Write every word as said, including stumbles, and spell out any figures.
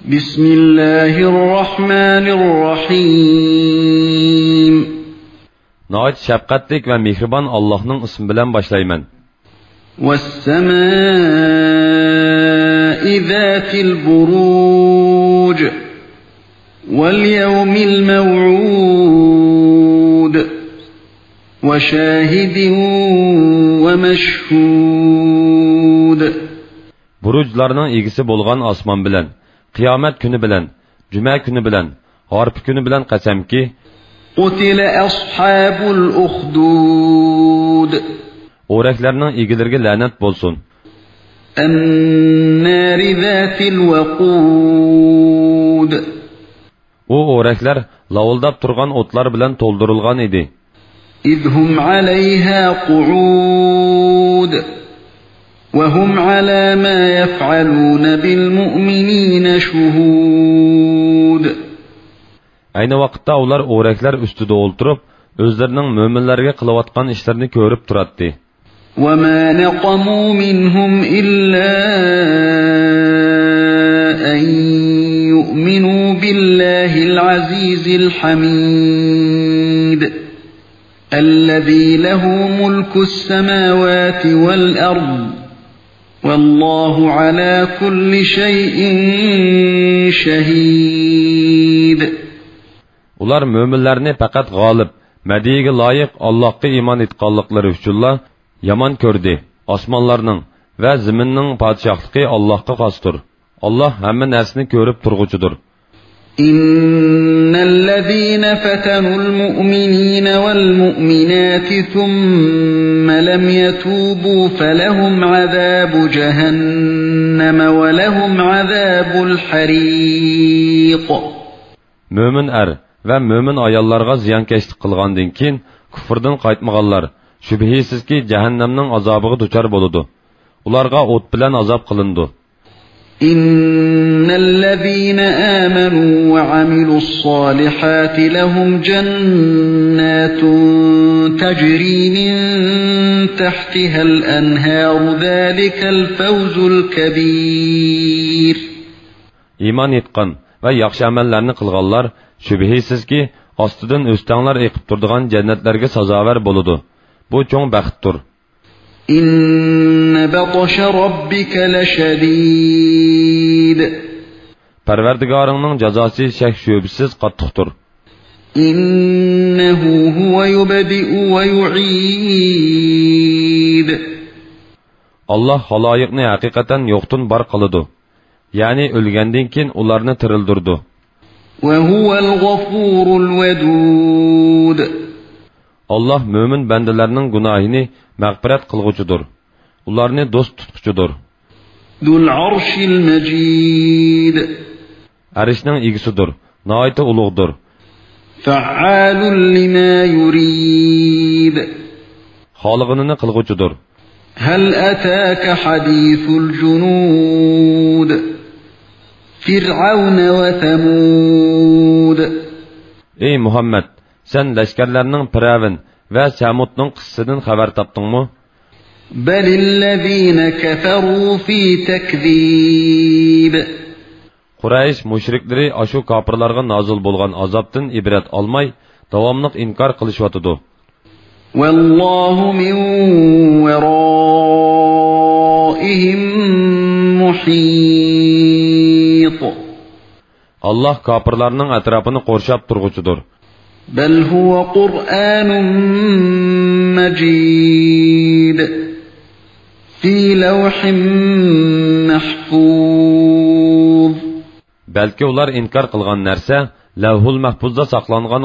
بسم الله الرحمن الرحيم. ناھايىتى شەپقەتلىك ۋە مېھرىبان ئاللاھنىڭ ئىسمى بىلەن باشلايمەن. والسماء ذات البروج. واليوم الموعود. وشاهد ومشهود. بۇرۇجلارنىڭ ئىگىسى بولغان ئاسمان بىلەن، قىيامەت كۈنى بىلەن، جۈمە كۈنى بىلەن، ھارپا كۈنى بىلەن قەسەمكى، قتل أصحاب الأخدود. ئورەكلەرنىڭ ئىگىلىرىگە لەنەت بولسۇن. النار ذات الوقود. ئۇ ئورەكلەر لاۋۇلداپ تۇرغان ئوتلار بىلەن تولدۇرۇلغان ئىدى. إذ هم عليها قعود وهم على ما يفعلون بالمؤمنين شهود. ئەينى ۋاقىتتا ئۇلار ئورەكلەر ئۈستىدە ئولتۇرۇپ، ئۆزلىرىنىڭ مۆمىنلەرگە قىلىۋاتقان ئىشلىرىنى كۆرۈپ تۇراتتى. وما نقموا منهم إلا أن يؤمنوا بالله العزيز الحميد الذي له ملك السماوات والأرض والله على كل شيء شهيد. ئۇلار مۆمىنلەرنى پەقەت غالىب، مەدھىيىگە لايىق ئاللاھقا ئىمان ئېيتقانلىقلىرى ئۈچۈنلا يامان كۆردى. ئاسمانلارنىڭ ۋە زېمىننىڭ پادىشاھلىقى ئاللاھقا خاستۇر. ئاللاھ ھەممە نەرسىنى كۆرۈپ تۇرغۇچىدۇر. إن الذين فتنوا المؤمنين والمؤمنات ثم لم يتوبوا فلهم عذاب جهنم ولهم عذاب الحريق. مۆمىن ئەر ۋە مۆمىن ئاياللارغا زىيانكەشلىك قىلغاندىن كېيىن كۇفرىدىن قايتمىغانلار، شۈبھىسىزكى، جەھەننەمنىڭ ئازابىغا دۇچار بولىدۇ. ئۇلارغا ئوت بىلەن ئازاب قىلىنىدۇ. إن الذين آمنوا وعملوا الصالحات لهم جنات تجري من تحتها الأنهار ذلك الفوز الكبير. ئىمان ئېيتقان ۋە ياخشى ئەمەللەرنى قىلغانلار، شۈبھىسىزكى، ئاستىدىن ئۆستەڭلار ئېقىپ تۇرىدىغان جەننەتلەرگە سازاۋەر بولىدۇ. بۇ چوڭ بەختتۇر. إن بطش ربك لشديد. پەرۋەردىگارىڭنىڭ جازاسى شەك-شۈبھىسىز قاتتىقتۇر. إنه هو يبدئ ويعيد. ئاللاھ خالايىقنى ھەقىقەتەن يوقتىن بار قىلىدۇ، يەنى ئۆلگەندىن كېيىن ئۇلارنى تىرىلدۈرىدۇ. وهو الغفور الودود. ئاللاھ مۆمىن بەندىلەرنىڭ گۇناھىنى مەغپىرەت قىلغۇچىدۇر، ئۇلارنى دوست تۇتقۇچىدۇر. ذو العرش المجيد. ئەرشنىڭ ئىگىسىدۇر، ناھايىتى ئۇلۇغدۇر. فعال لما يريد. خالىغىنىنى قىلغۇچىدۇر. هل أتاك حديث الجنود. فرعون وثمود. ئەي مۇھەممەد، سەن لەشكەرلەرنىڭ پىرئەۋن ۋە سەمۇدنىڭ قىسسىسىدىن خەۋەر تاپتىڭمۇ؟ بل الذين كفروا في تكذيب. قۇرەيش مۇشرىكلىرى ئاشۇ كاپىرلارغا نازىل بولغان ئازابتىن ئىبرەت ئالماي، داۋاملىق ئىنكار قىلىشىۋاتىدۇ. والله من ورائهم محيط. ئاللاھ كاپىرلارنىڭ ئەتراپىنى قورشاپ تۇرغۇچىدۇر. بل هو قرآن مجيد. في لوح محفوظ. بەلكى ئۇلار ئىنكار قىلغان نەرسە لەۋھۇل مەھپۇزدا ساقلانغان